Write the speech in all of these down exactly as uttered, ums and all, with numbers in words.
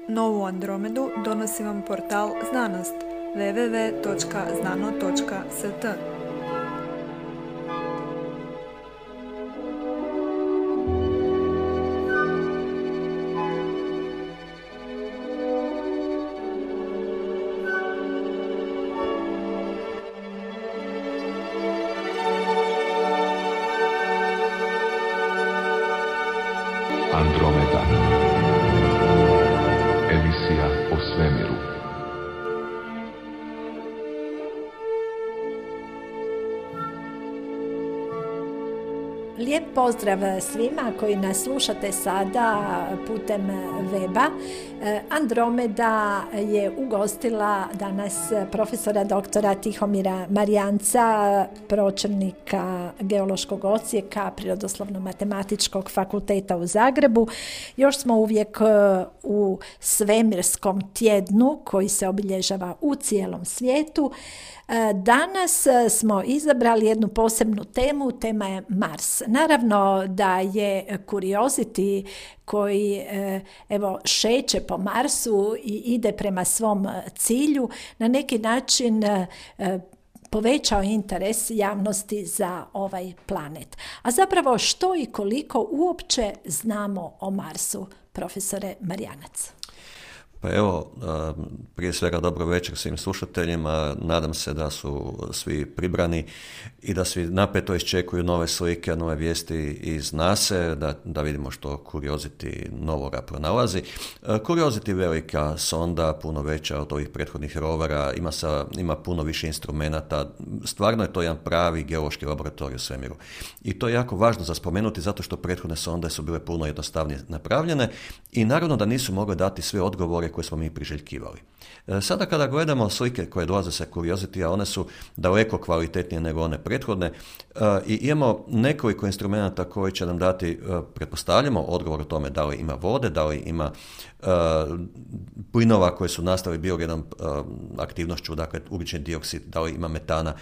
Novu Andromedu donosi vam portal Znanost w w w točka znano točka s t. Andromeda. Emisija o svemiru. Lijep pozdrav svima koji nas slušate sada putem weba. Andromeda je ugostila danas profesora doktora Tihomira Marijanca, pročelnika Geološkog odsjeka Prirodoslovno-matematičkog fakulteta u Zagrebu. Još smo uvijek u svemirskom tjednu koji se obilježava u cijelom svijetu. Danas smo izabrali jednu posebnu temu, tema je Mars. Naravno da je Curiosity koji evo šeće po Marsu i ide prema svom cilju na neki način povećao interes javnosti za ovaj planet. A zapravo što i koliko uopće znamo o Marsu, profesore Marijanac? Pa evo, prije svega dobro večer svim slušateljima, nadam se da su svi pribrani i da svi napeto iščekuju nove slike, nove vijesti iz nase, da, da vidimo što Curiosity novoga pronalazi. Curiosity je velika sonda, puno veća od ovih prethodnih rovera, ima, sa, ima puno više instrumenata, stvarno je to jedan pravi geološki laboratorij u svemiru. I to je jako važno za spomenuti zato što prethodne sonde su bile puno jednostavnije napravljene i naravno da nisu mogle dati sve odgovore koje smo mi priželjkivali. Sada kada gledamo slike koje dolaze sa Curiosity-a, one su daleko kvalitetnije nego one prethodne i imamo nekoliko instrumenta koji će nam dati, pretpostavljamo, odgovor o tome da li ima vode, da li ima uh, plinova koji su nastali biogenom uh, aktivnošću, dakle ugljični dioksid, da li ima metana.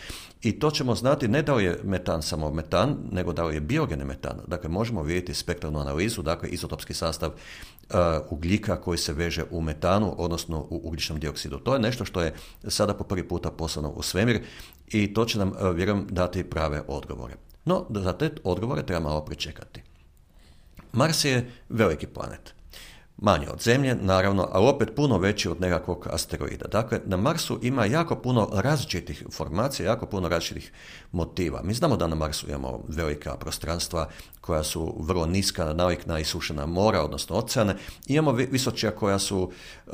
I to ćemo znati ne da li je metan samo metan, nego da li je biogeni metan. Dakle, možemo vidjeti spektralnu analizu, dakle izotopski sastav uh, ugljika koji se veže u metanu, odnosno u ugljičnom dioksidu. To je nešto što je sada po prvi puta poslano u svemir i to će nam, uh, vjerujem, dati prave odgovore. No, za te odgovore treba malo pričekati. Mars je veliki planet. Manji od Zemlje, naravno, ali opet puno veći od nekakvog asteroida. Dakle, na Marsu ima jako puno različitih formacija, jako puno različitih motiva. Mi znamo da na Marsu imamo velika prostranstva koja su vrlo niska, nalik na isušena mora, odnosno oceane. Imamo visočija koja su uh,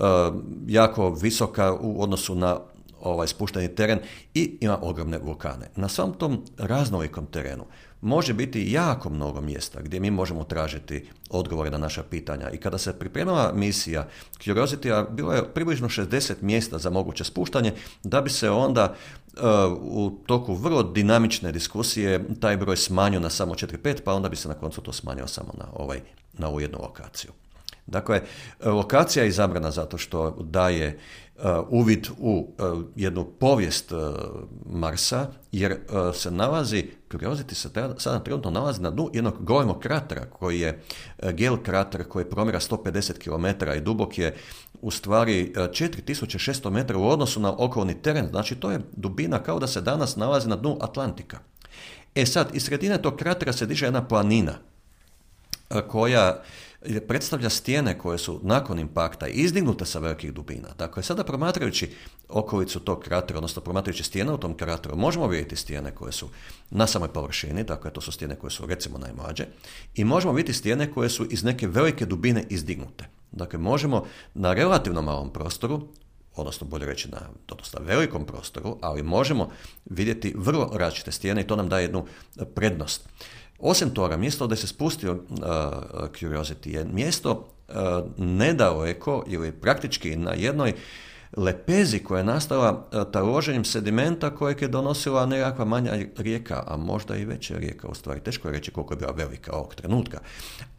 jako visoka u odnosu na ovaj spušteni teren i ima ogromne vulkane. Na svom tom raznolikom terenu može biti jako mnogo mjesta gdje mi možemo tražiti odgovore na naša pitanja. I kada se pripremala misija Curiosity, bilo je približno šezdeset mjesta za moguće spuštanje, da bi se onda uh, u toku vrlo dinamične diskusije taj broj smanjio na samo četiri pet, pa onda bi se na koncu to smanjio samo na, ovaj, na ovu jednu lokaciju. Dakle, lokacija je izabrana zato što daje uh, uvid u uh, jednu povijest uh, Marsa, jer uh, se nalazi, Curiosity se sada trenutno nalazi na dnu jednog golemog kratera, koji je uh, gel krater koji promjera sto pedeset kilometara i dubok je u stvari uh, četiri tisuće šesto metara u odnosu na okolni teren, znači to je dubina kao da se danas nalazi na dnu Atlantika. E sad, iz sredine tog kratera se diže jedna planina uh, koja predstavlja stijene koje su nakon impakta izdignute sa velikih dubina. Dakle, sada promatrajući okolicu tog kratera, odnosno promatrajući stijene u tom krateru, možemo vidjeti stijene koje su na samoj površini, dakle to su stijene koje su recimo najmlađe, i možemo vidjeti stijene koje su iz neke velike dubine izdignute. Dakle, možemo na relativno malom prostoru, odnosno bolje reći na dosta velikom prostoru, ali možemo vidjeti vrlo različite stijene i to nam daje jednu prednost. Osim toga, mjesto gdje se spustio uh, Curiosity je mjesto uh, nedaleko ili praktički na jednoj lepezi koja je nastala uh, taloženjem sedimenta kojeg je donosila nekakva manja rijeka, a možda i veća rijeka, u stvari teško je reći koliko je bila velika ovog trenutka.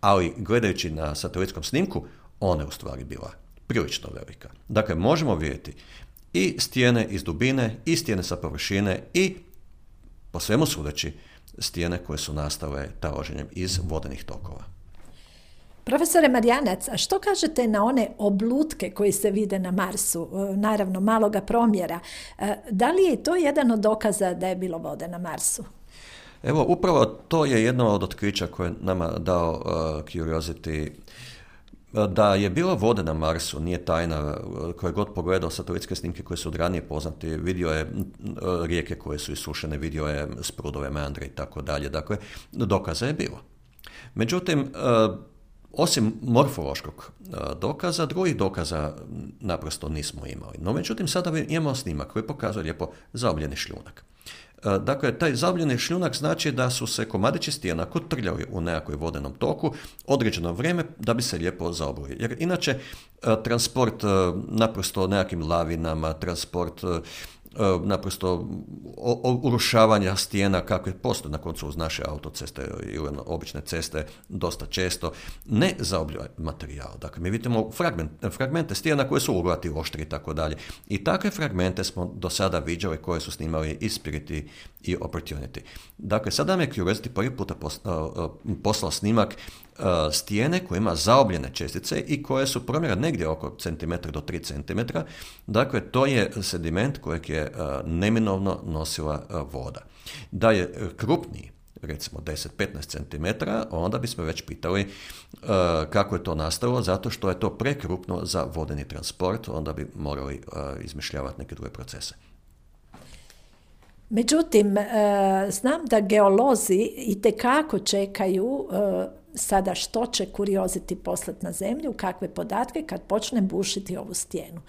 Ali gledajući na satelitskom snimku, ona je u stvari bila prilično velika. Dakle, možemo vidjeti i stijene iz dubine, i stijene sa površine, i po svemu sudeći stijene koje su nastale taloženjem iz vodenih tokova. Profesore Marijanac, a što kažete na one oblutke koji se vide na Marsu, naravno maloga promjera? Da li je to jedan od dokaza da je bilo vode na Marsu? Evo, upravo to je jedno od otkrića koje je nama dao uh, Curiosity. Da je bilo vode na Marsu, nije tajna, koje god pogledao satelitske snimke koje su od ranije poznati, vidio je uh, rijeke koje su isušene, vidio je sprudove, meandre i tako dalje. Dakle, dokaza je bilo. Međutim, uh, osim morfološkog dokaza, drugih dokaza naprosto nismo imali. No, međutim, sada imamo snimak koji pokazuje lijepo zaobljeni šljunak. Dakle, taj zaobljeni šljunak znači da su se komadići stijena kotrljali u nekakvoj vodenom toku određeno vrijeme da bi se lijepo zaoblili. Jer inače, transport naprosto nekakvim lavinama, transport naprosto urušavanja stijena kakve postoje na koncu uz naše autoceste ili obične ceste dosta često, ne zaobljuje materijal. Dakle, mi vidimo fragment, fragmente stijena koje su uglati, oštri i tako dalje. I takve fragmente smo do sada viđali koje su snimali i Spirit i Opportunity. Dakle, sada nam je Curiosity prvi puta poslao snimak stijene koja ima zaobljene čestice i koje su promjera negdje oko centimetra do tri centimetra. Dakle, to je sediment kojeg je neminovno nosila voda. Da je krupniji, recimo deset do petnaest centimetara, onda bismo već pitali uh, kako je to nastalo, zato što je to prekrupno za vodeni transport, onda bi morali uh, izmišljavati neke druge procese. Međutim, znam da geolozi itekako čekaju sada što će Curiosity poslati na Zemlju, kakve podatke kad počne bušiti ovu stijenu.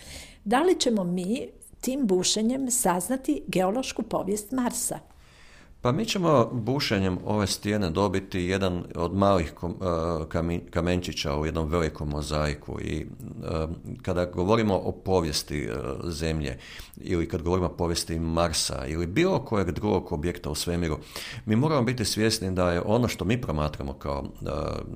Da li ćemo mi tim bušenjem saznati geološku povijest Marsa? Pa mi ćemo bušenjem ove stijene dobiti jedan od malih kamenčića u jednom velikom mozaiku i kada govorimo o povijesti Zemlje ili kad govorimo o povijesti Marsa ili bilo kojeg drugog objekta u svemiru, mi moramo biti svjesni da je ono što mi promatramo kao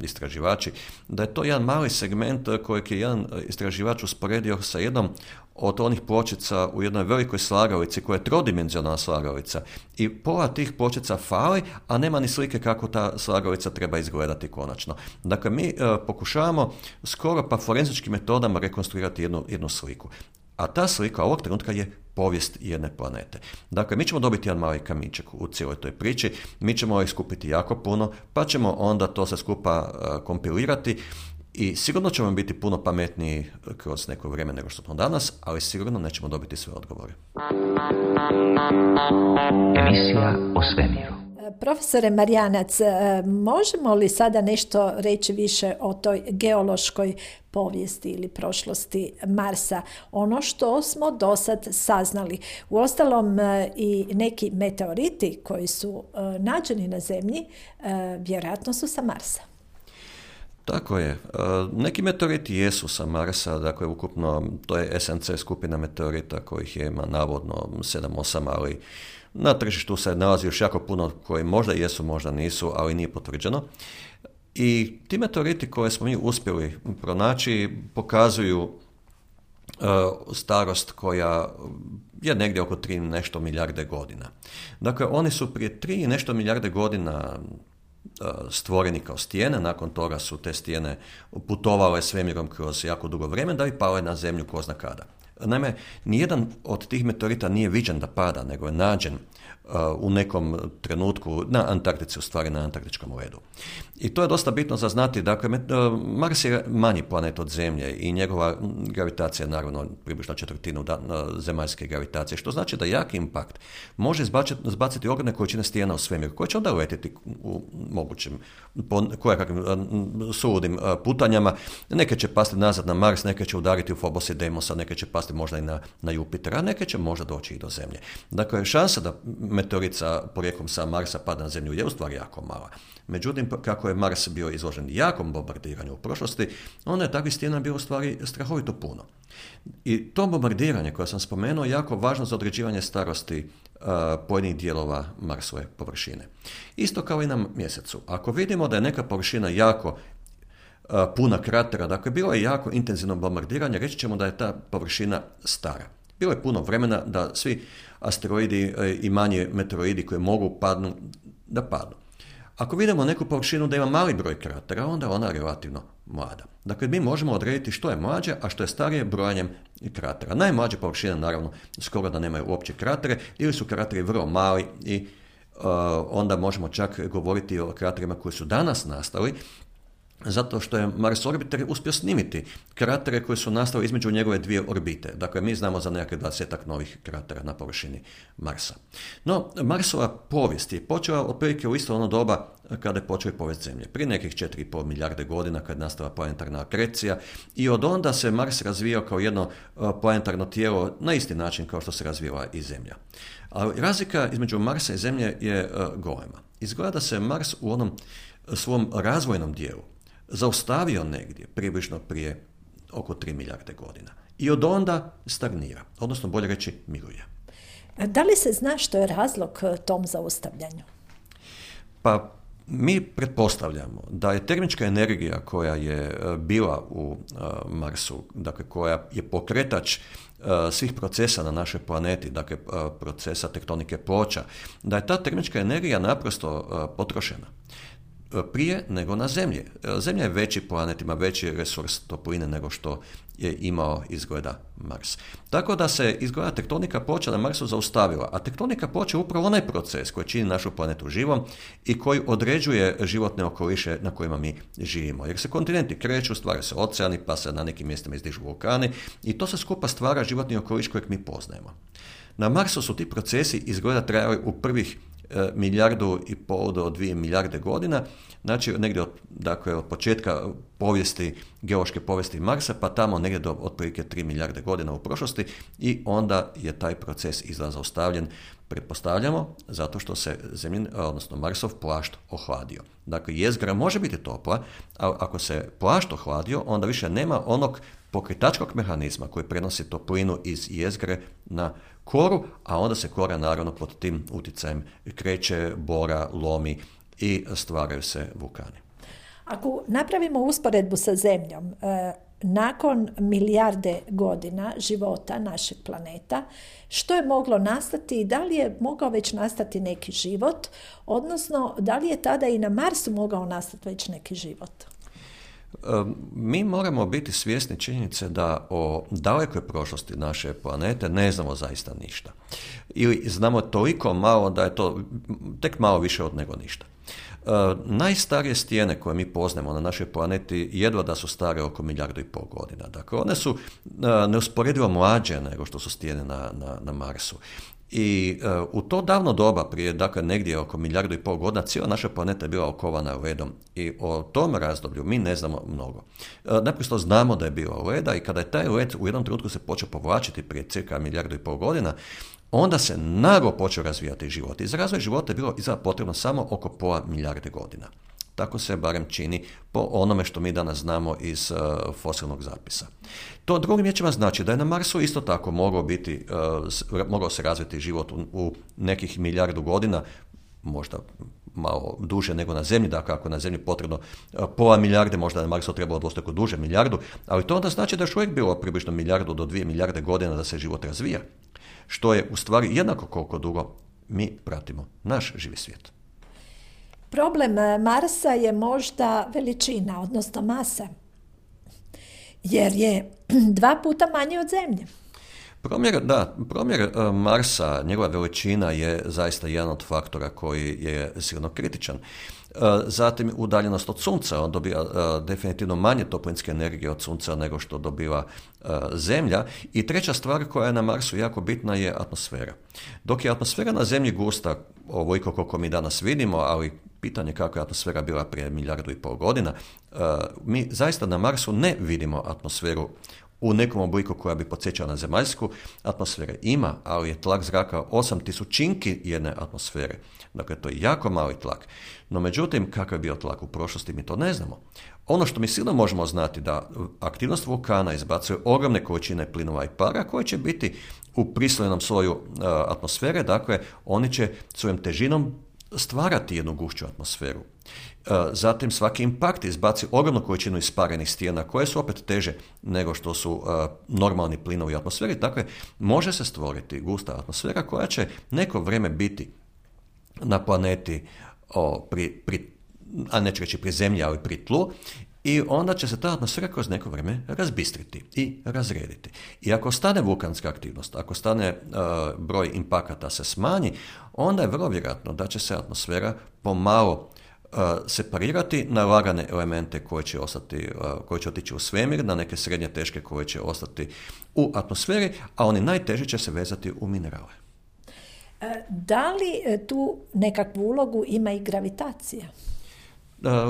istraživači, da je to jedan mali segment kojeg je jedan istraživač usporedio sa jednom od onih pločica u jednoj velikoj slagalici koja je trodimenzionalna slagalica i pola tih pločica fali, a nema ni slike kako ta slagalica treba izgledati konačno. Dakle, mi e, pokušavamo skoro pa forenzičkim metodama rekonstruirati jednu, jednu sliku. A ta slika ovog trenutka je povijest jedne planete. Dakle, mi ćemo dobiti jedan mali kamičak u cijeloj toj priči, mi ćemo ih skupiti jako puno, pa ćemo onda to sve skupa uh, kompilirati i sigurno ćemo biti puno pametniji kroz neko vrijeme nego što smo danas, ali sigurno nećemo dobiti sve odgovore. Emisija o svemiru. Profesore Marijanac, možemo li sada nešto reći više o toj geološkoj povijesti ili prošlosti Marsa? Ono što smo do sad saznali. Uostalom i neki meteoriti koji su nađeni na Zemlji vjerojatno su sa Marsa. Tako je. Neki meteoriti jesu sa Marsa, dakle ukupno to je S N C skupina meteorita kojih je ima navodno sedam osam, ali na tržištu se nalazi još jako puno koji možda jesu, možda nisu, ali nije potvrđeno. I ti meteoriti koje smo mi uspjeli pronaći pokazuju uh, starost koja je negdje oko tri nešto milijarde godina. Dakle, oni su prije tri nešto milijarde godina stvoreni kao stijene, nakon toga su te stijene putovale svemirom kroz jako dugo vrijeme da bi pale na Zemlju ko zna kada. Naime, nijedan od tih meteorita nije viđen da pada, nego je nađen uh, u nekom trenutku na Antarktici, u stvari na antarktičkom ledu. I to je dosta bitno za znati. Dakle, uh, Mars je manji planet od Zemlje i njegova gravitacija je naravno približno četvrtinu da, uh, zemaljske gravitacije, što znači da jaki impakt može izbaciti, izbaciti ogromne količine stijena u svemir, koje će onda letiti u mogućim, po kojakakvim uh, suludim uh, putanjama. Neke će pasti nazad na Mars, neke će udariti u Phobos i Deimosa, neke će pasti možda i na, na Jupitera, a neke će možda doći i do Zemlje. Dakle, šansa da meteorit sa porijeklom sa Marsa pada na Zemlju je u stvari jako mala. Međutim, kako je Mars bio izložen jakom bombardiranju u prošlosti, onda je takvih stijena bilo u stvari strahovito puno. I to bombardiranje koje sam spomenuo je jako važno za određivanje starosti uh, pojedinih dijelova Marsove površine. Isto kao i na Mjesecu. Ako vidimo da je neka površina jako Uh, puna kratera, dakle bilo je jako intenzivno bombardiranje, reći ćemo da je ta površina stara. Bilo je puno vremena da svi asteroidi uh, i manji meteoroidi koji mogu padnu, da padnu. Ako vidimo neku površinu da ima mali broj kratera, onda je ona relativno mlada. Dakle, mi možemo odrediti što je mlađe, a što je starije brojanjem kratera. Najmlađe površine, naravno, skoro da nemaju uopće kratere, ili su krateri vrlo mali i uh, onda možemo čak govoriti o kraterima koji su danas nastali, zato što je Mars orbiter uspio snimiti kratere koji su nastali između njegove dvije orbite. Dakle, mi znamo za nekakve dvadesetak novih kratera na površini Marsa. No, Marsova povijest je počela otprilike u isto ono doba kada je počela povijest Zemlje. Prije nekih četiri i pol milijarde godina kad je nastala planetarna akrecija i od onda se Mars razvijao kao jedno planetarno tijelo na isti način kao što se razvijala i Zemlja. Ali razlika između Marsa i Zemlje je golema. Izgleda da se Mars u onom svom razvojnom dijelu zaustavio negdje, približno prije oko tri milijarde godina. I od onda stagnira, odnosno bolje reći miruje. Da li se zna što je razlog tom zaustavljanju? Pa mi pretpostavljamo da je termička energija koja je bila u Marsu, dakle koja je pokretač svih procesa na našoj planeti, dakle procesa tektonike ploča, da je ta termička energija naprosto potrošena prije nego na Zemlji. Zemlja je veći planet, ima veći resurs topline nego što je imao izgleda Mars. Tako da se izgleda tektonika ploča na Marsu zaustavila, a tektonika ploča je upravo onaj proces koji čini našu planetu živom i koji određuje životne okoliše na kojima mi živimo. Jer se kontinenti kreću, stvaraju se oceani, pa se na nekim mjestima izdižu vulkani i to se skupa stvara životni okoliš kojeg mi poznajemo. Na Marsu su ti procesi izgleda trajali u prvih e, milijardu i pol do dvije milijarde godina, znači negdje od, dakle, od početka povijesti, geološke povijesti Marsa, pa tamo negdje do otprilike tri milijarde godina u prošlosti i onda je taj proces izgleda zaustavljen, pretpostavljamo, zato što se Zemljin, odnosno Marsov plašt ohladio. Dakle, jezgra može biti topla, a ako se plašt ohladio, onda više nema onog pokretačkog mehanizma koji prenosi toplinu iz jezgre na koru, a onda se kora naravno pod tim utjecajem kreće, bora, lomi i stvaraju se vulkani. Ako napravimo usporedbu sa Zemljom, eh, nakon milijarde godina života našeg planeta, što je moglo nastati i da li je mogao već nastati neki život, odnosno da li je tada i na Marsu mogao nastati već neki život? Mi moramo biti svjesni činjenice da o dalekoj prošlosti naše planete ne znamo zaista ništa. Ili znamo toliko malo da je to tek malo više od nego ništa. Uh, najstarije stijene koje mi poznajemo na našoj planeti jedva da su stare oko milijardu i pol godina. Dakle, one su uh, neusporedivo mlađe nego što su stijene na, na, na Marsu. I uh, u to davno doba, prije dakle negdje oko milijardu i pol godina, cijela naša planeta je bila okovana ledom i o tom razdoblju mi ne znamo mnogo. Uh, naprosto znamo da je bilo leda i kada je taj led u jednom trenutku se počeo povlačiti prije cirka milijardu i pol godina, onda se naglo počeo razvijati život. I za razvoj života je bilo izgleda potrebno samo oko pola milijarde godina. Tako se barem čini po onome što mi danas znamo iz uh, fosilnog zapisa. To drugim riječima znači da je na Marsu isto tako mogao biti, uh, mogao se razviti život u, u nekih milijardu godina, možda malo duže nego na Zemlji, dakle ako na Zemlji potrebno uh, pola milijarde, možda na Marsu trebalo dvostruko duže milijardu, ali to onda znači da je još uvijek bilo približno milijardu do dvije milijarde godina da se život razvija, što je u stvari jednako koliko dugo mi pratimo naš živi svijet. Problem Marsa je možda veličina, odnosno masa, jer je dva puta manje od Zemlje. Promjer, da, promjer Marsa, njegova veličina je zaista jedan od faktora koji je sigurno kritičan. Zatim udaljenost od Sunca, on dobiva definitivno manje toplinske energije od Sunca nego što dobiva Zemlja. I treća stvar koja je na Marsu jako bitna je atmosfera. Dok je atmosfera na Zemlji gusta, ovoliko koliko mi danas vidimo, ali pitanje kako je atmosfera bila prije milijardu i pol godina, mi zaista na Marsu ne vidimo atmosferu u nekom obliku koja bi podsjećala na zemaljsku. Atmosfere ima, ali je tlak zraka osam tisućinki jedne atmosfere. Dakle, to je jako mali tlak. No, međutim, kakav je bio tlak u prošlosti, mi to ne znamo. Ono što mi sigurno možemo znati da aktivnost vulkana izbacuje ogromne količine plinova i para koje će biti u prislojenom sloju uh, atmosfere, dakle, oni će svojom težinom stvarati jednu gušću atmosferu. Zatim svaki impakt izbaci ogromnu količinu isparenih stijena koje su opet teže nego što su uh, normalni plinovi u atmosferi. Dakle, može se stvoriti gusta atmosfera koja će neko vrijeme biti na planeti, o, pri, pri, a neću reći pri Zemlji, ali pri tlu, i onda će se ta atmosfera kroz neko vrijeme razbistriti i razrediti. I ako stane vulkanska aktivnost, ako stane uh, broj impakata se smanji, onda je vrlo vjerojatno da će se atmosfera pomalo uh, separirati na lagane elemente koje će ostati, uh, koje će otići u svemir, na neke srednje teške koje će ostati u atmosferi, a oni najteži će se vezati u minerale. Da li tu nekakvu ulogu ima i gravitacija?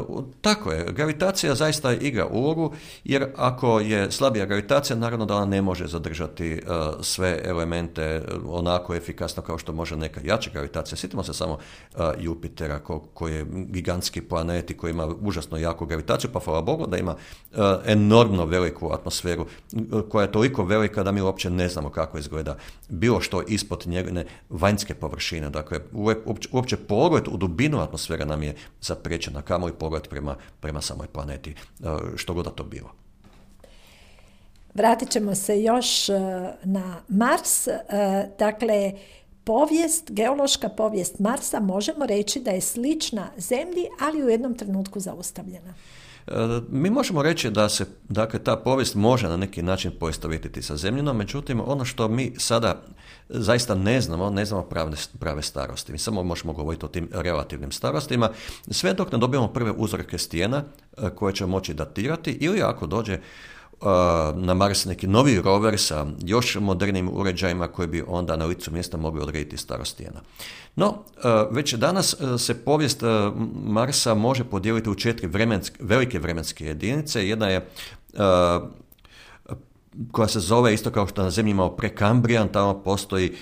Uh, tako je, gravitacija zaista igra ulogu, jer ako je slabija gravitacija, naravno da ona ne može zadržati uh, sve elemente onako efikasno kao što može neka jača gravitacija. Sjetimo se samo uh, Jupitera ko, koji je gigantski planet i koji ima užasno jaku gravitaciju, pa hvala Bogu da ima uh, enormno veliku atmosferu uh, koja je toliko velika da mi uopće ne znamo kako izgleda bilo što ispod njegove vanjske površine. Dakle, uopće, uopće pogled u dubinu atmosfere nam je zapriječena, kamo i pogled prema, prema samoj planeti, što god da to bilo. Vratit ćemo se još na Mars. Dakle, povijest, geološka povijest Marsa možemo reći da je slična Zemlji, ali u jednom trenutku zaustavljena. Mi možemo reći da se, dakle, ta povijest može na neki način poistovjetiti sa Zemljinom, međutim, ono što mi sada zaista ne znamo, ne znamo prave, prave starosti. Mi samo možemo govoriti o tim relativnim starostima, sve dok ne dobijemo prve uzorke stijena koje ćemo moći datirati, ili ako dođe na Mars neki novi rover sa još modernijim uređajima koji bi onda na licu mjesta mogli odrediti starost stijena. No, već danas se povijest Marsa može podijeliti u četiri vremenske, velike vremenske jedinice. Jedna je koja se zove isto kao što na Zemlji imamo prekambrijan, tamo postoji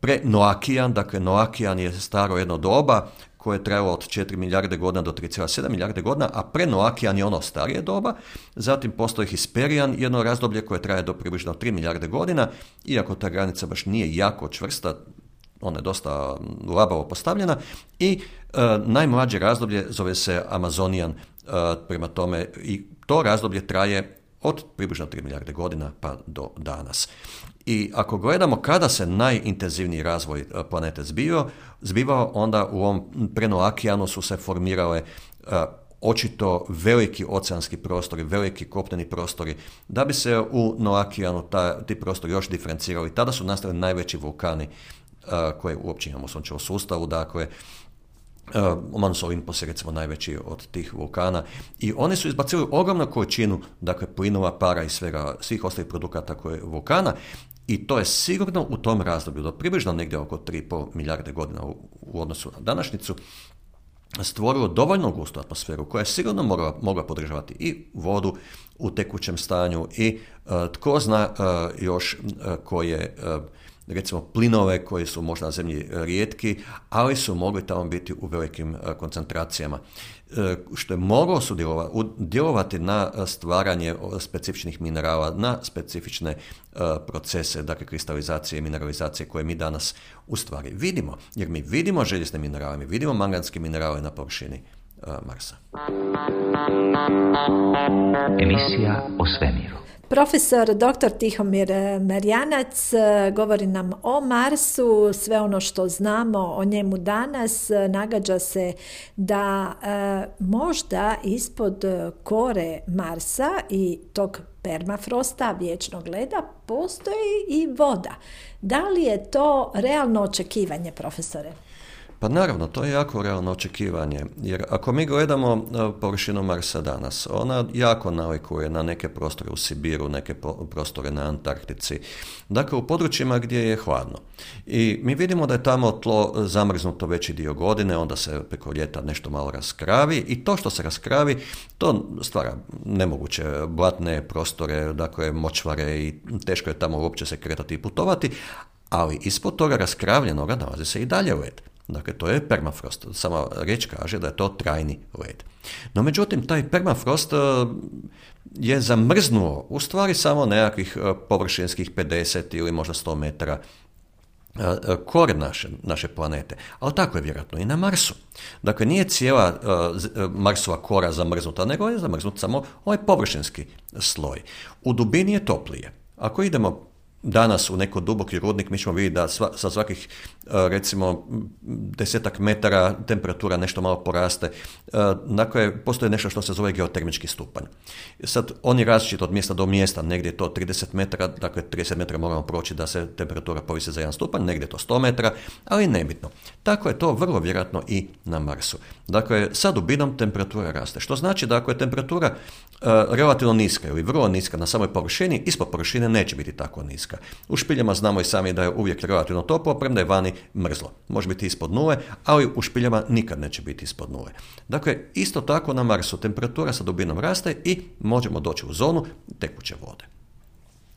prenoakijan, dakle noakijan je staro jedno doba koje je trajalo od četiri milijarde godina do tri zarez sedam milijarde godina, a prenoakijan je ono starije doba. Zatim postoji hisperijan, jedno razdoblje koje traje do približno tri milijarde godina, iako ta granica baš nije jako čvrsta, ona je dosta labavo postavljena. I e, najmlađe razdoblje zove se amazonijan, e, prema tome i to razdoblje traje od približno tri milijarde godina pa do danas. I ako gledamo kada se najintenzivniji razvoj planete zbivao, zbivao onda u ovom prenoakijanu su se formirale uh, očito veliki oceanski prostori, veliki kopneni prostori, da bi se u noakijanu ta, ti prostori još diferencirali. Tada su nastali najveći vulkani uh, koje uopće imamo u Sunčevom sustavu, dakle Uh, Mons Olympus je recimo najveći od tih vulkana i oni su izbacili ogromnu količinu, dakle, plinova, para i svega, svih ostalih produkata koje vulkana, i to je sigurno u tom razdoblju do približno negdje oko tri i pol milijarde godina u, u odnosu na današnjicu stvorilo dovoljno gustu atmosferu koja je sigurno mogla, mogla podržavati i vodu u tekućem stanju i uh, tko zna uh, još uh, koje uh, recimo plinove koji su možda na Zemlji rijetki, ali su mogli tamo biti u velikim koncentracijama, što je moglo djelovati na stvaranje specifičnih minerala, na specifične procese, dakle kristalizacije i mineralizacije koje mi danas u stvari vidimo, jer mi vidimo željezne minerale, mi vidimo manganske minerale na površini Marsa. Emisija o svemiru. Profesor doktor Tihomir Marjanac govori nam o Marsu, sve ono što znamo o njemu danas. Nagađa se da e, možda ispod kore Marsa i tog permafrosta, vječnog leda, postoji i voda. Da li je to realno očekivanje, profesore? Pa naravno, to je jako realno očekivanje, jer ako mi gledamo površinu Marsa danas, ona jako nalikuje na neke prostore u Sibiru, neke prostore na Antarktici, dakle u područjima gdje je hladno. I mi vidimo da je tamo tlo zamrznuto veći dio godine, onda se preko ljeta nešto malo raskravi i to što se raskravi, to stvara nemoguće blatne prostore, dakle močvare i teško je tamo uopće se kretati i putovati, ali ispod toga raskravljenoga nalazi se i dalje led. Dakle, to je permafrost. Sama riječ kaže da je to trajni led. No, međutim, taj permafrost je zamrznuo u stvari samo nekakvih površinskih pedeset ili možda sto metara kore naše, naše planete. Ali tako je vjerojatno i na Marsu. Dakle, nije cijela uh, Marsova kora zamrznuta, nego je zamrznut samo ovaj površinski sloj. U dubini je toplije. Ako idemo danas u neko duboki rudnik, mi ćemo vidjeti da sva, sa svakih recimo desetak metara temperatura nešto malo poraste. Dakle, postoji nešto što se zove geotermički stupanj. Sad, on je različit od mjesta do mjesta, negdje je to trideset metara, dakle trideset metara moramo proći da se temperatura povisi za jedan stupanj, negdje je to sto metara, ali nebitno. Tako je to vrlo vjerojatno i na Marsu. Dakle, sa dubinom temperatura raste, što znači da ako je temperatura uh, relativno niska ili vrlo niska na samoj površini, ispod površine neće biti tako niska. U špiljama znamo i sami da je uvijek relativno toplo, premda je vani mrzlo. Može biti ispod nule, ali u špiljama nikad neće biti ispod nule. Dakle, isto tako na Marsu temperatura sa dubinom raste i možemo doći u zonu tekuće vode.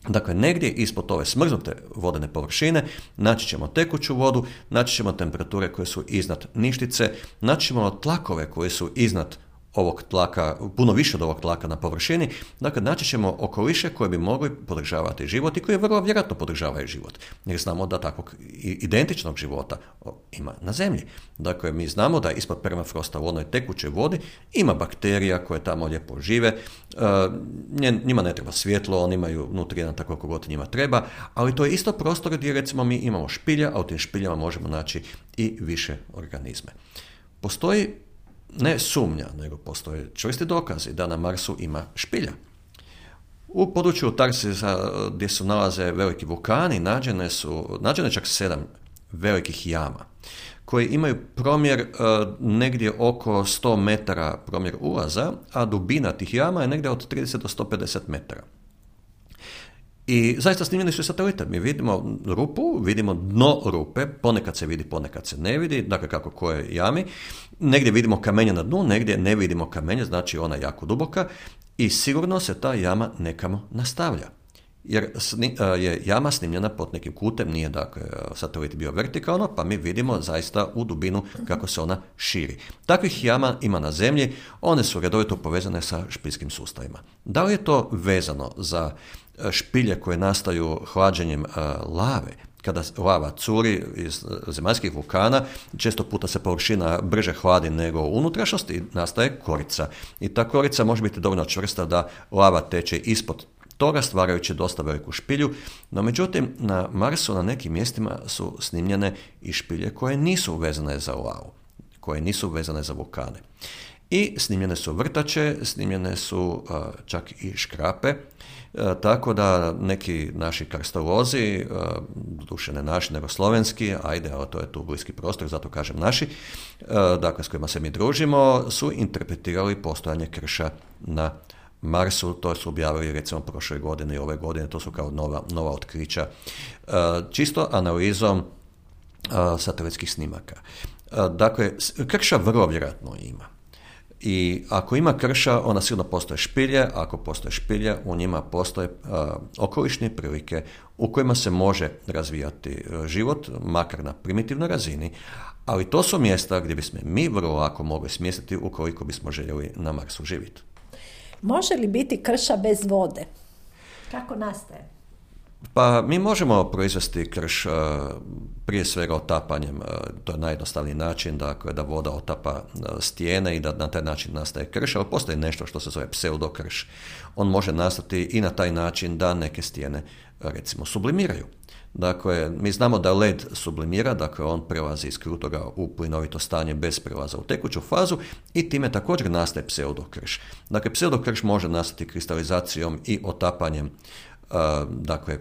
Dakle, negdje ispod ove smrznute vodene površine naći ćemo tekuću vodu, naći ćemo temperature koje su iznad ništice, naći ćemo tlakove koje su iznad ovog tlaka, puno više od ovog tlaka na površini, dakle naći ćemo okoliše koje bi mogli podržavati život i koje vrlo vjerojatno podržavaju život. Jer znamo da takvog identičnog života ima na Zemlji. Dakle, mi znamo da ispod permafrosta u onoj tekućoj vodi ima bakterija koje tamo lijepo žive, njima ne treba svjetlo, oni imaju nutrijenata koliko god njima treba, ali to je isto prostor gdje recimo mi imamo špilja, a u tim špiljama možemo naći i više organizme. Postoji ne sumnja, nego postoje čvrsti dokazi da na Marsu ima špilja. U području Tarsisa gdje se nalaze veliki vulkani nađene su, nađene čak sedam velikih jama koji imaju promjer e, negdje oko sto metara promjer ulaza, a dubina tih jama je negdje od trideset do sto pedeset metara. I zaista snimljeni su satelite. Mi vidimo rupu, vidimo dno rupe, ponekad se vidi, ponekad se ne vidi, dakle kako koje jami. Negdje vidimo kamenje na dnu, negdje ne vidimo kamenje, znači ona je jako duboka i sigurno se ta jama nekamo nastavlja. Jer je jama snimljena pod nekim kutem, nije dakle satelit bio vertikalno, pa mi vidimo zaista u dubinu kako se ona širi. Takvih jama ima na Zemlji, one su redovito povezane sa špiljskim sustavima. Da li je to vezano za špilje koje nastaju hlađenjem lave? Kada lava curi iz zemaljskih vulkana, često puta se površina brže hladi nego u unutrašnjosti i nastaje korica. I ta korica može biti dovoljno čvrsta da lava teče ispod toga, stvarajući dosta veliku špilju, no međutim na Marsu na nekim mjestima su snimljene i špilje koje nisu vezane za lavu, koje nisu vezane za vulkane. I snimljene su vrtače, snimljene su uh, čak i škrape, uh, tako da neki naši karstolozi, uh, duše ne naši nego slovenski, ajde, ali to je tu bliski prostor, zato kažem naši, uh, dakle s kojima se mi družimo, su interpretirali postojanje krša na Marsu. To su objavili recimo prošle godine i ove godine, to su kao nova, nova otkrića, uh, čisto analizom uh, satelitskih snimaka. Uh, dakle, krša vrlo vjerojatno ima. I ako ima krša, onda sigurno postoje špilje, ako postoje špilje, u njima postoje uh, okolišne prilike u kojima se može razvijati uh, život, makar na primitivnoj razini, ali to su mjesta gdje bismo mi vrlo lako mogli smjestiti ukoliko bismo željeli na Marsu živjeti. Može li biti krša bez vode? Kako nastaje? Pa mi možemo proizvesti krš uh, prije svega otapanjem, uh, to je najjednostavniji način, dakle da voda otapa uh, stijene i da na taj način nastaje krš, ali postoji nešto što se zove pseudokrš. On može nastati i na taj način da neke stijene uh, recimo sublimiraju. Dakle, mi znamo da led sublimira, dakle on prelazi iz krutoga u plinovito stanje bez prelaza u tekuću fazu i time također nastaje pseudokrš. Dakle, pseudokrš može nastati kristalizacijom i otapanjem uh, dakle,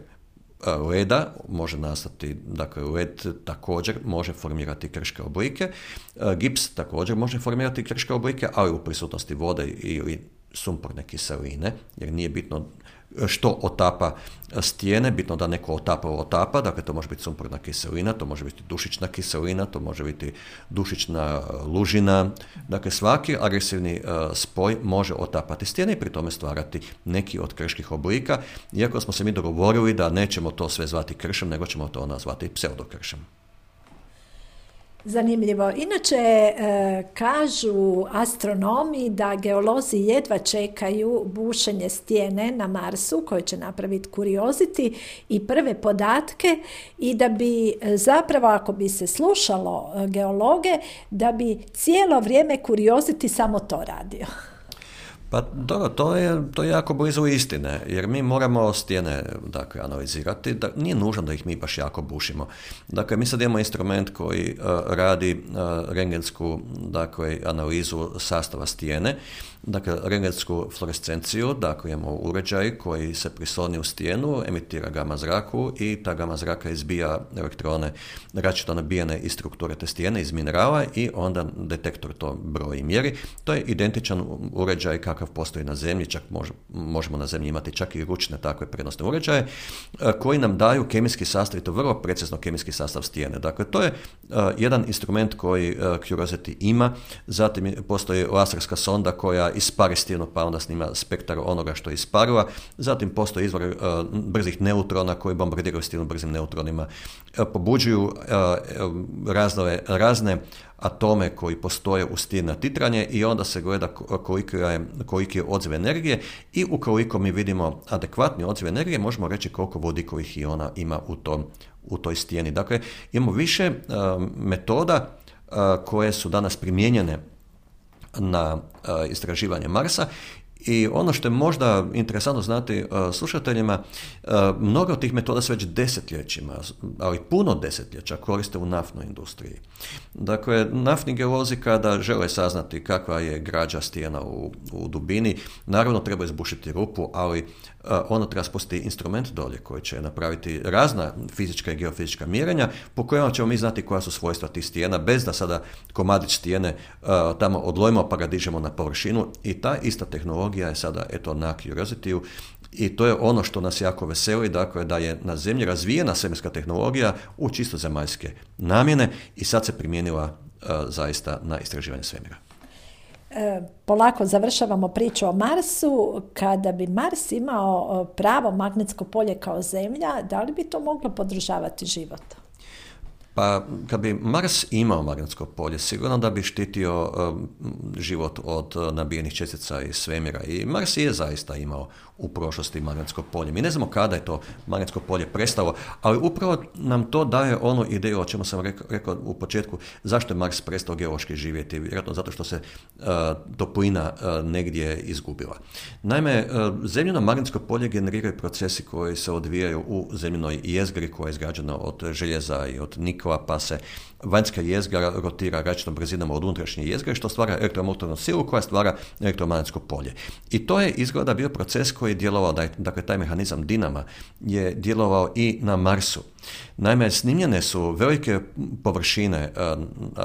leda, može nastati, dakle led također može formirati krške oblike, gips također može formirati krške oblike, ali u prisutnosti vode ili sumporne kiseline, jer nije bitno što otapa stijene, bitno da neko otapa otapa, dakle to može biti sumporna kiselina, to može biti dušična kiselina, to može biti dušična lužina, dakle svaki agresivni uh, spoj može otapati stijene i pri tome stvarati neki od krških oblika, iako smo se mi dogovorili da nećemo to sve zvati kršom, nego ćemo to nazvati pseudokršom. Zanimljivo. Inače, e, kažu astronomi da geolozi jedva čekaju bušenje stijene na Marsu koje će napraviti Curiosity i prve podatke i da bi zapravo, ako bi se slušalo geologe, da bi cijelo vrijeme Curiosity samo to radio. Pa dobro, to je, to je jako blizu istine, jer mi moramo stijene dakle, analizirati, da nije nužno da ih mi baš jako bušimo. Dakle, mi sad imamo instrument koji uh, radi uh, rengensku dakle, analizu sastava stijene, dakle, rengensku fluorescenciju, dakle, imamo uređaj koji se prisloni u stijenu, emitira gama zraku i ta gama zraka izbija elektrone različito nabijene iz strukture te stijene, iz minerala i onda detektor to broji i mjeri. To je identičan uređaj kakav postoji na zemlji, čak mož, možemo na zemlji imati čak i ručne takve prenosne uređaje, koji nam daju kemijski sastav, i to vrlo precizno kemijski sastav stijene. Dakle, to je uh, jedan instrument koji uh, Curiosity ima, zatim postoji laserska sonda koja ispari stijenu pa onda snima spektar onoga što je isparila, zatim postoji izvor uh, brzih neutrona koji bombardiraju stijenu brzim neutronima, uh, pobuđuju uh, razne, razne atome koji postoje u stijeni na titranje i onda se gleda koliki je, koliki je odziv energije i ukoliko mi vidimo adekvatni odziv energije možemo reći koliko vodikovih iona ima u, tom, u toj stijeni. Dakle, imamo više uh, metoda uh, koje su danas primijenjene na uh, istraživanje Marsa. I ono što je možda interesantno znati uh, slušateljima, uh, mnogo od tih metoda se već desetljećima, ali puno desetljeća koriste u naftnoj industriji. Dakle, naftni geolozi kada žele saznati kakva je građa stijena u, u dubini, naravno treba izbušiti rupu, ali uh, ono treba spustiti instrument dolje koji će napraviti razna fizička i geofizička mjerenja po kojima ćemo mi znati koja su svojstva tih stijena, bez da sada komadić stijene uh, tamo odlojimo pa ga dižemo na površinu i ta ista tehnologija je sada eto na Curiosity-u i to je ono što nas jako veseli, dakle da je na zemlji razvijena svemirska tehnologija u čisto zemaljske namjene i sad se primijenila uh, zaista na istraživanje svemira. E, polako završavamo priču o Marsu. Kada bi Mars imao pravo magnetsko polje kao Zemlja, da li bi to moglo podržavati život? Pa, kad bi Mars imao magnetsko polje, sigurno da bi štitio um, život od uh, nabijenih čestica iz svemira. I Mars je zaista imao u prošlosti magnetsko polje. Mi ne znamo kada je to magnetsko polje prestalo, ali upravo nam to daje onu ideju, o čemu sam rekao, rekao u početku, zašto je Mars prestao geološki živjeti. Vjerojatno zato što se uh, toplina uh, negdje izgubila. Naime, uh, zemljino magnetsko polje generiraju procesi koji se odvijaju u zemljinoj jezgri koja je izgrađena od željeza i od nikla, pa se vanjska jezgra rotira različitom brzinom od unutrašnje jezgre, što stvara elektromotornu silu koja stvara elektromagnetsko polje. I to je izgleda bio proces koji je djelovao, dakle taj mehanizam dinama je djelovao i na Marsu. Naime, snimljene su velike površine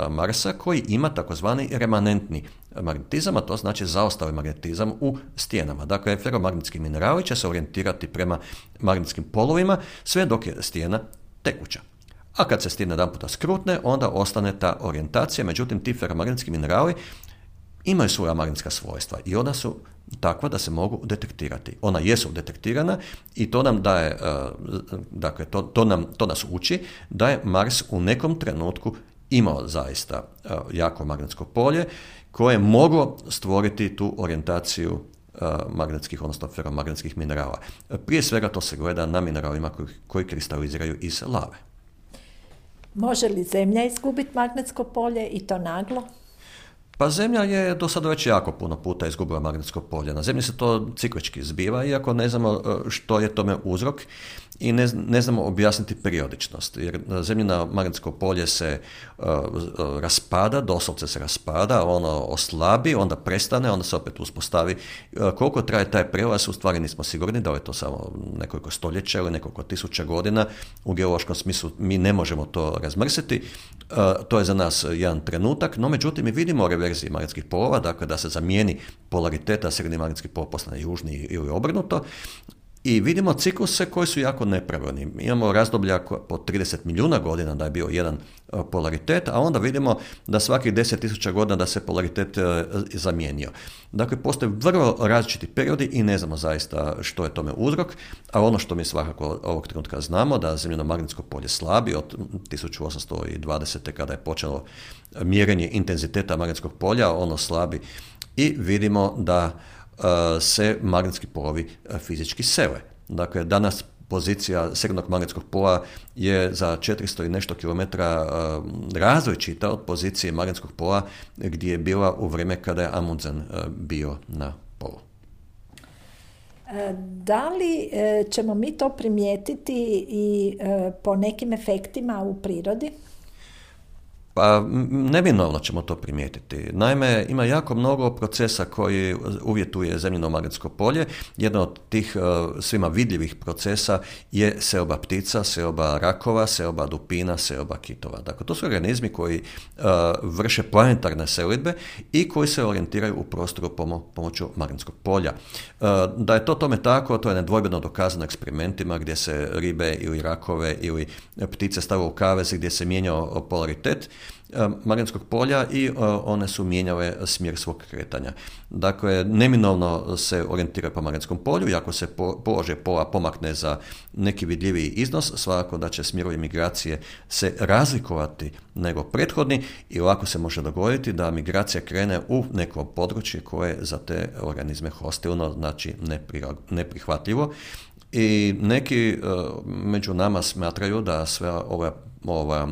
Marsa koji ima takozvani remanentni magnetizam, a to znači zaostali magnetizam u stijenama. Dakle, feromagnetski minerali će se orijentirati prema magnetskim polovima sve dok je stijena tekuća. A kad se stijena jedan puta skrutne, onda ostane ta orijentacija, međutim ti feromagnetski minerali imaju svoja magnetska svojstva i ona su takva da se mogu detektirati. Ona jesu detektirana i to nam daje, dakle, to, to, nam, to nas uči da je Mars u nekom trenutku imao zaista jako magnetsko polje koje je moglo stvoriti tu orijentaciju magnetskih, odnosno feromagnetskih minerala. Prije svega to se gleda na mineralima koji, koji kristaliziraju iz lave. Može li Zemlja izgubiti magnetsko polje i to naglo? Pa Zemlja je do sada već jako puno puta izgubila magnetsko polje. Na Zemlji se to ciklički zbiva, iako ne znamo što je tome uzrok i ne, ne znamo objasniti periodičnost. Jer Zemljino magnetsko polje se uh, raspada, doslovce se raspada, ono oslabi, onda prestane, onda se opet uspostavi. Uh, koliko traje taj prelaz, u stvari nismo sigurni da je to samo nekoliko stoljeća ili nekoliko tisuća godina. U geološkom smislu mi ne možemo to razmrsiti. Uh, to je za nas jedan trenutak, no međutim mi vidimo reverzije magnetskih polova, dakle da se zamijeni polariteta, srednji magnetski pol postane južni ili obrnuto. I vidimo cikluse koji su jako nepravilni. Imamo razdoblja po trideset milijuna godina da je bio jedan polaritet, a onda vidimo da svakih deset tisuća godina da se polaritet zamijenio. Dakle, postoje vrlo različiti periodi i ne znamo zaista što je tome uzrok, a ono što mi svakako ovog trenutka znamo da zemljino magnetsko polje slabi od tisuću osamsto dvadesete kada je počelo mjerenje intenziteta magnetskog polja, ono slabi i vidimo da se magnetski polovi fizički sele. Dakle, danas pozicija srednjeg magnetskog pola je za četiristo i nešto kilometara različita od pozicije magnetskog pola gdje je bila u vrijeme kada je Amundsen bio na polu. Da li ćemo mi to primijetiti i po nekim efektima u prirodi? Pa neminovno ćemo to primijetiti. Naime, ima jako mnogo procesa koji uvjetuje zemljino magnetsko polje. Jedan od tih uh, svima vidljivih procesa je seoba ptica, seoba rakova, seoba dupina, seoba kitova. Dakle, to su organizmi koji uh, vrše planetarne selidbe i koji se orijentiraju u prostoru pomo- pomoću magnetskog polja. Uh, da je to tome tako, to je nedvojbeno dokazano eksperimentima gdje se ribe ili rakove ili ptice stavile u kavez gdje se mijenjao polaritet magnetskog polja i uh, one su mijenjale smjer svog kretanja. Dakle, neminovno se orijentiraju po magnetskom polju i ako se po, položaj pola pomakne za neki vidljiviji iznos, svakako da će smjerovi migracije se razlikovati nego prethodni i lako se može dogoditi da migracija krene u neko područje koje je za te organizme hostilno, znači neprihvatljivo. I neki uh, među nama smatraju da sve ova, ova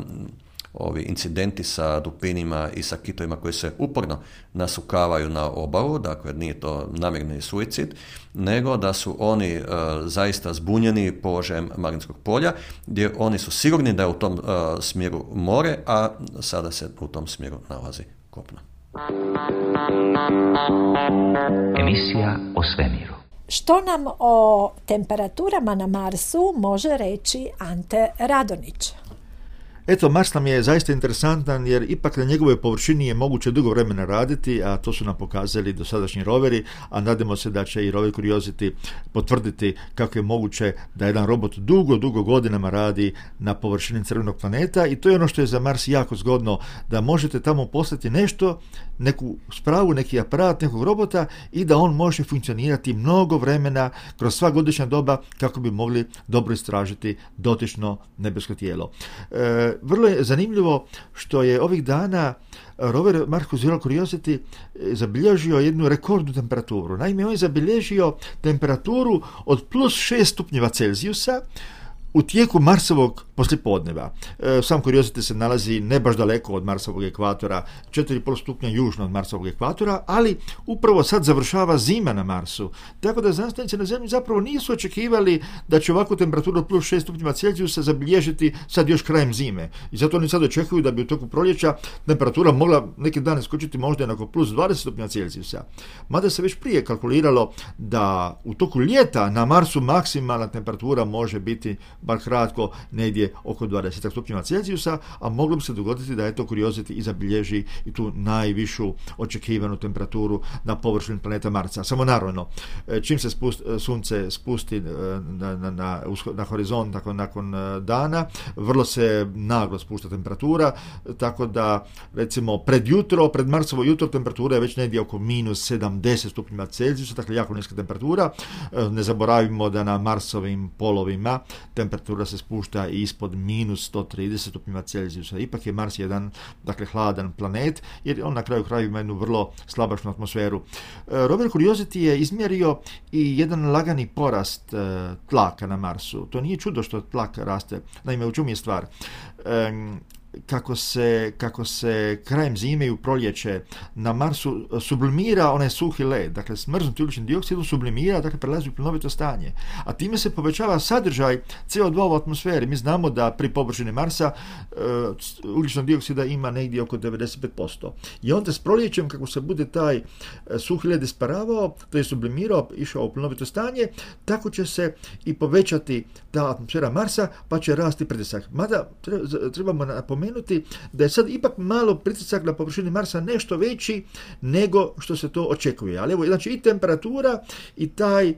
ovi incidenti sa dupinima i sa kitovima koji se uporno nasukavaju na obalu, dakle nije to namjerni suicid, nego da su oni uh, zaista zbunjeni položajem magnetskog polja, gdje oni su sigurni da je u tom uh, smjeru more, a sada se u tom smjeru nalazi kopno. Emisija o svemiru. Što nam o temperaturama na Marsu može reći Ante Radonić? Eto, Mars nam je zaista interesantan jer ipak na njegovoj površini je moguće dugo vremena raditi, a to su nam pokazali dosadašnji roveri, a nadamo se da će i rover Curiosity potvrditi kako je moguće da jedan robot dugo, dugo godinama radi na površini crvenog planeta i to je ono što je za Mars jako zgodno, da možete tamo poslati nešto, neku spravu, neki aparat, nekog robota i da on može funkcionirati mnogo vremena kroz sva godišnja doba kako bi mogli dobro istražiti dotično nebesko tijelo. E, Vrlo je zanimljivo što je ovih dana rover Mars Curiosity zabilježio jednu rekordnu temperaturu. Naime, on je zabilježio temperaturu od plus šest stupnjeva Celzijusa u tijeku Marsovog poslijepodneva. E, sam Curiosity se nalazi ne baš daleko od Marsovog ekvatora, četiri i pol stupnja južno od Marsovog ekvatora, ali upravo sad završava zima na Marsu. Tako da znanstvenici na Zemlji zapravo nisu očekivali da će ovakvu temperaturu plus šest stupnjeva Celzijusa zabilježiti sad još krajem zime. I zato oni sad očekuju da bi u toku proljeća temperatura mogla neke dane skočiti možda jednako plus dvadeset stupnjeva Celzijusa. Mada se već prije kalkuliralo da u toku ljeta na Marsu maksimalna temperatura može biti bar kratko negdje oko dvadeset stupnjeva Celzijusa, a moglo bi se dogoditi da je to Curiosity i zabilježi i tu najvišu očekivanu temperaturu na površini planeta Marsa. Samo naravno, čim se spust, sunce spusti na, na, na, na horizont nakon, nakon dana, vrlo se naglo spušta temperatura, tako da recimo pred jutro, pred Marsovo jutro temperatura je već negdje oko minus sedamdeset stupnjeva Celzijusa, dakle jako niska temperatura. Ne zaboravimo da na Marsovim polovima temperatura se spušta i ispod minus sto trideset stupnjeva Celzijusa. Ipak je Mars jedan, dakle, hladan planet, jer on na kraju kraju ima jednu vrlo slabašnu atmosferu. Rover Curiosity je izmjerio i jedan lagani porast e, tlaka na Marsu. To nije čudo što tlak raste. Naime, u čemu je stvar? E, Kako se, kako se krajem zime i u proljeće na Marsu sublimira onaj suhi led, dakle smrznuti ugljični dioksid sublimira, dakle prelazi u plinovito stanje, a time se povećava sadržaj C O dva u atmosferi. Mi znamo da pri površini Marsa uh, ugljičnog dioksida ima negdje oko devedeset pet posto. I onda s proljećem, kako se bude taj uh, suhi led isparavao, to je sublimirao, išao u plinovito stanje, tako će se i povećati ta atmosfera Marsa, pa će rasti pritisak. Mada trebamo napomenuti da je sad ipak malo pritisak na površini Marsa nešto veći nego što se to očekuje. Ali evo, znači i temperatura i taj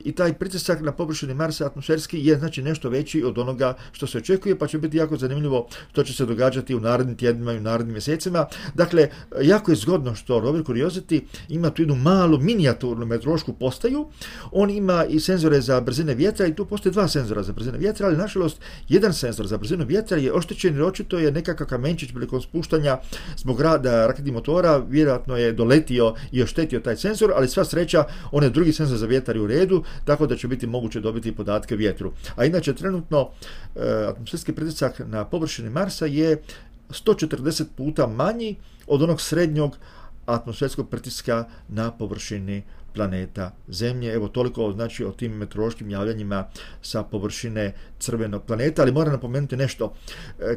i taj pritisak na površini Marsa atmosferski je znači nešto veći od onoga što se očekuje, pa će biti jako zanimljivo što će se događati u narednim tjednima i u narednim mjesecima. Dakle, jako je zgodno što rover Curiosity ima tu jednu malu minijaturnu meteorološku postaju. On ima i senzore za brzine vjetra i tu postoje dva senzora za brzine vjetra, ali nažalost jedan senzor za brzinu vjetra je oštećen jer očito je nekakav kamenčić prilikom spuštanja zbog rada raketnih motora, vjerojatno je doletio i oštetio taj senzor, ali sva sreća, on je drugi senzor za vjetar i u redu, tako da će biti moguće dobiti podatke o vjetru. A inače, trenutno e, atmosferski pritisak na površini Marsa je sto četrdeset puta manji od onog srednjog atmosferskog pritiska na površini planeta Zemlje. Evo toliko znači o tim meteorološkim javljanjima sa površine crvenog planeta, ali moram napomenuti nešto.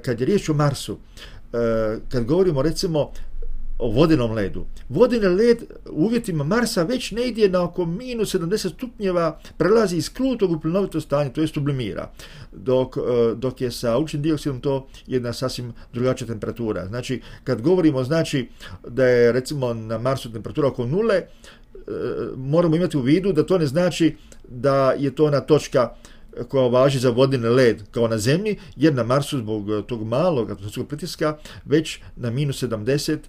Kad je riječ o Marsu, kad govorimo recimo o vodenom ledu. Vodeni led u uvjetima Marsa već negdje na oko minus sedamdeset stupnjeva prelazi iz krutog u plinovito stanje, to je sublimira, dok, dok je sa ugljičnim dioksidom to jedna sasvim drugačija temperatura. Znači, kad govorimo znači da je recimo na Marsu temperatura oko nule, moramo imati u vidu da to ne znači da je to ona točka koja važi za vodeni led kao na Zemlji, jer na Marsu zbog tog malog atmosferskog pritiska već na minus sedamdeset,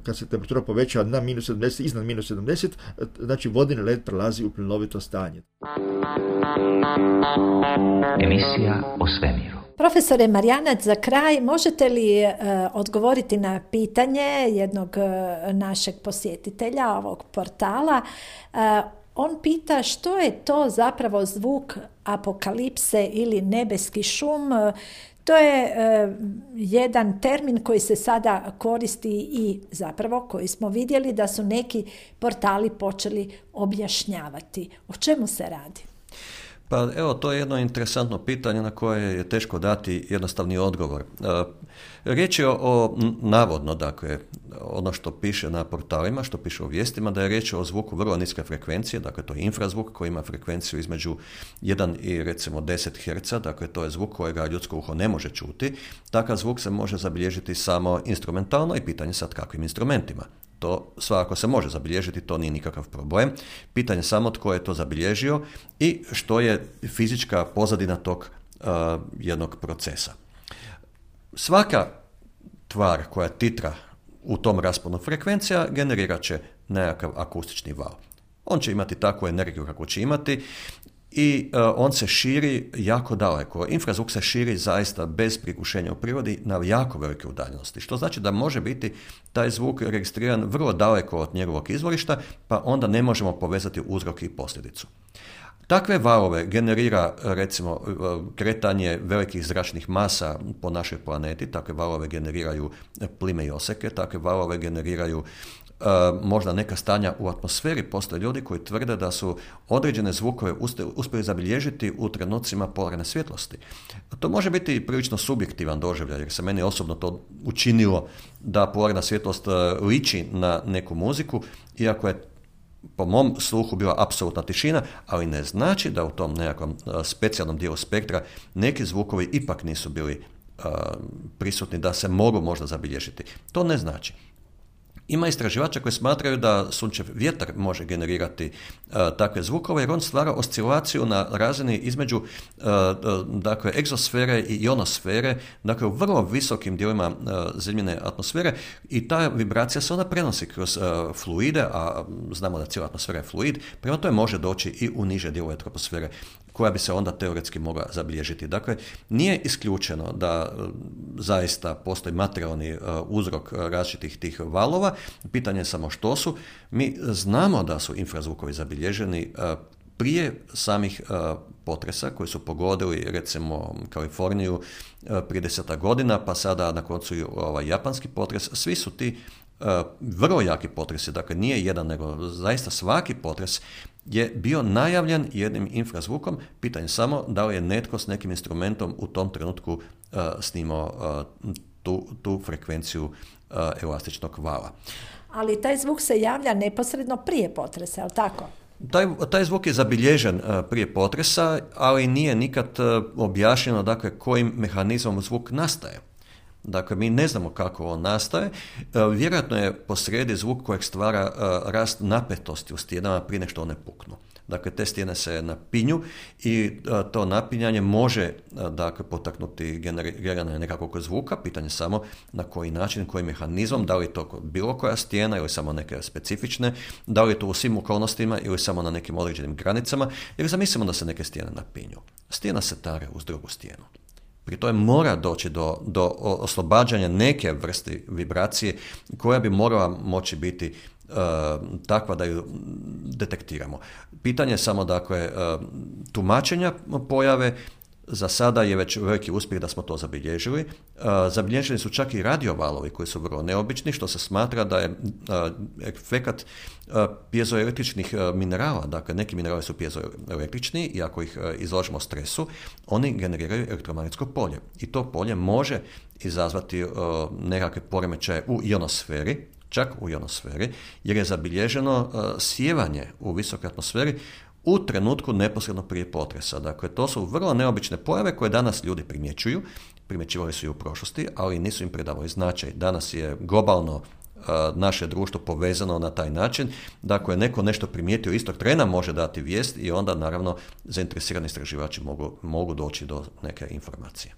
kad se temperatura poveća na minus sedamdeset, iznad minus sedamdeset, znači vodeni led prelazi u plinovito stanje. Emisija o svemiru. Profesore Marjanac, za kraj možete li e, odgovoriti na pitanje jednog e, našeg posjetitelja ovog portala? E, On pita što je to zapravo zvuk apokalipse ili nebeski šum. To je e, jedan termin koji se sada koristi i zapravo koji smo vidjeli da su neki portali počeli objašnjavati. O čemu se radi? Pa evo, to je jedno interesantno pitanje na koje je teško dati jednostavni odgovor. E, riječ je o, o navodno, dakle, ono što piše na portalima, što piše u vijestima, da je riječ o zvuku vrlo niske frekvencije, dakle to je infrazvuk koji ima frekvenciju između jedan i recimo deset herca, dakle to je zvuk kojega ljudsko uho ne može čuti. Takav zvuk se može zabilježiti samo instrumentalno i pitanje sad kakvim instrumentima. To svakako se može zabilježiti, to nije nikakav problem. Pitanje samo tko je to zabilježio i što je fizička pozadina tog uh, jednog procesa. Svaka tvar koja titra u tom rasponu frekvencija generirat će nekakav akustični val. On će imati takvu energiju kako će imati i uh, on se širi jako daleko. Infrazvuk se širi zaista bez prigušenja u prirodi na jako velike udaljenosti, što znači da može biti taj zvuk registriran vrlo daleko od njegovog izvorišta, pa onda ne možemo povezati uzrok i posljedicu. Takve valove generira recimo kretanje velikih zračnih masa po našoj planeti, takve valove generiraju plime i oseke, takve valove generiraju Uh, možda neka stanja u atmosferi. Postoje ljudi koji tvrde da su određene zvukove uspjeli zabilježiti u trenucima polarne svjetlosti. To može biti prilično subjektivan doživljaj, jer se meni osobno to učinilo da polarna svjetlost uh, liči na neku muziku, iako je po mom sluhu bila apsolutna tišina, ali ne znači da u tom nekakvom uh, specijalnom dijelu spektra neki zvukovi ipak nisu bili uh, prisutni, da se mogu možda zabilježiti. To ne znači. Ima istraživača koji smatraju da sunčev vjetar može generirati uh, takve zvukove, jer on stvara oscilaciju na razini između uh, dakle, egzosfere i ionosfere, dakle u vrlo visokim dijelovima uh, zemljine atmosfere, i ta vibracija se onda prenosi kroz uh, fluide, a znamo da cijela atmosfera je fluid, prema tome može doći i u niže dijelove atmosfere, koja bi se onda teoretski mogla zabilježiti. Dakle, nije isključeno da uh, zaista postoji materijalni uh, uzrok različitih tih valova. Pitanje je samo što su. Mi znamo da su infrazvukovi zabilježeni uh, prije samih uh, potresa koji su pogodili recimo Kaliforniju uh, prije desetak godina, pa sada na koncu i ovaj japanski potres. Svi su ti uh, vrlo jaki potresi, dakle nije jedan, nego zaista svaki potres je bio najavljen jednim infrazvukom. Pitanje samo da li je netko s nekim instrumentom u tom trenutku uh, snimao uh, tu, tu frekvenciju uh, elastičnog vala. Ali taj zvuk se javlja neposredno prije potresa, je li tako? Taj, taj zvuk je zabilježen uh, prije potresa, ali nije nikad uh, objašnjeno dakle, kojim mehanizmom zvuk nastaje. Dakle, mi ne znamo kako on nastaje. Uh, vjerojatno je posrijedi zvuk kojeg stvara uh, rast napetosti u stijenama prije nego što one puknu. Dakle, te stijene se napinju i uh, to napinjanje može uh, dakle, potaknuti generiranje nekakvog zvuka. Pitanje samo na koji način, kojim mehanizmom, da li je to bilo koja stijena ili samo neke specifične, da li je to u svim okolnostima ili samo na nekim određenim granicama, jer zamislimo da se neke stijene napinju. Stijena se tare uz drugu stijenu. Pri tome mora doći do, do oslobađanja neke vrste vibracije koja bi morala moći biti uh, takva da ju detektiramo. Pitanje je samo dakle uh, tumačenja pojave Za sada je već veliki uspjeh da smo to zabilježili. Zabilježeni su čak i radiovalovi koji su vrlo neobični, što se smatra da je efekat pjezoelektričnih minerala, dakle neki minerali su pjezoelektrični i ako ih izložimo stresu, oni generiraju elektromagnetsko polje. I to polje može izazvati nekakve poremećaje u ionosferi, čak u ionosferi, jer je zabilježeno sijevanje u visokoj atmosferi u trenutku neposredno prije potresa. Dakle, to su vrlo neobične pojave koje danas ljudi primjećuju, primjećivali su i u prošlosti, ali nisu im predavali značaj. Danas je globalno uh, naše društvo povezano na taj način, da ako je neko nešto primijetio istog trena može dati vijest i onda naravno zainteresirani istraživači mogu, mogu doći do neke informacije.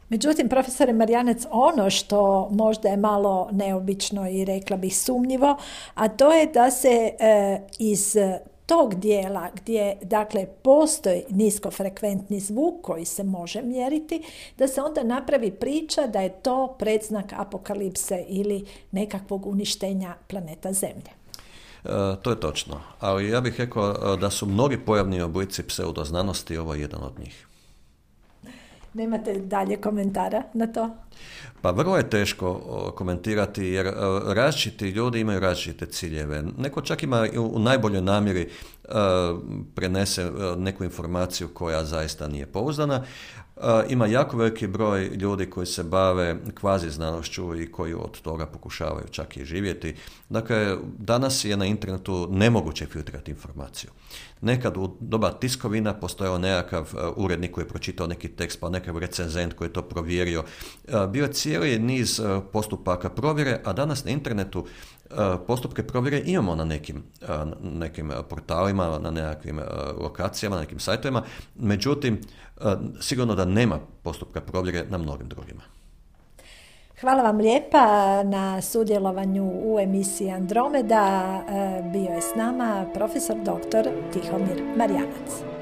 Međutim, profesore Marjanac, ono što možda je malo neobično i rekla bih sumnjivo, a to je da se e, iz tog dijela gdje dakle postoji niskofrekventni zvuk koji se može mjeriti, da se onda napravi priča da je to predznak apokalipse ili nekakvog uništenja planeta Zemlje. E, to je točno, ali ja bih rekao da su mnogi pojavni oblici pseudoznanosti, ovo je jedan od njih. Nemate dalje komentara na to? Pa vrlo je teško komentirati jer različiti ljudi imaju različite ciljeve. Neko čak ima u najboljoj namjeri prenese neku informaciju koja zaista nije pouzdana. Ima jako veliki broj ljudi koji se bave kvazi znanošću i koji od toga pokušavaju čak i živjeti. Dakle, danas je na internetu nemoguće filtrirati informaciju. Nekad u doba tiskovina postojao nekakav urednik koji je pročitao neki tekst, pa nekakav recenzent koji je to provjerio. Bio je cijeli niz postupaka provjere, a danas na internetu postupke provjere imamo na nekim, nekim portalima, na nekakvim lokacijama, na nekim sajtovima, međutim, sigurno da nema postupka provjere na mnogim drugima. Hvala vam lijepa na sudjelovanju u emisiji Andromeda. Bio je s nama profesor doktor Tihomir Marjanac.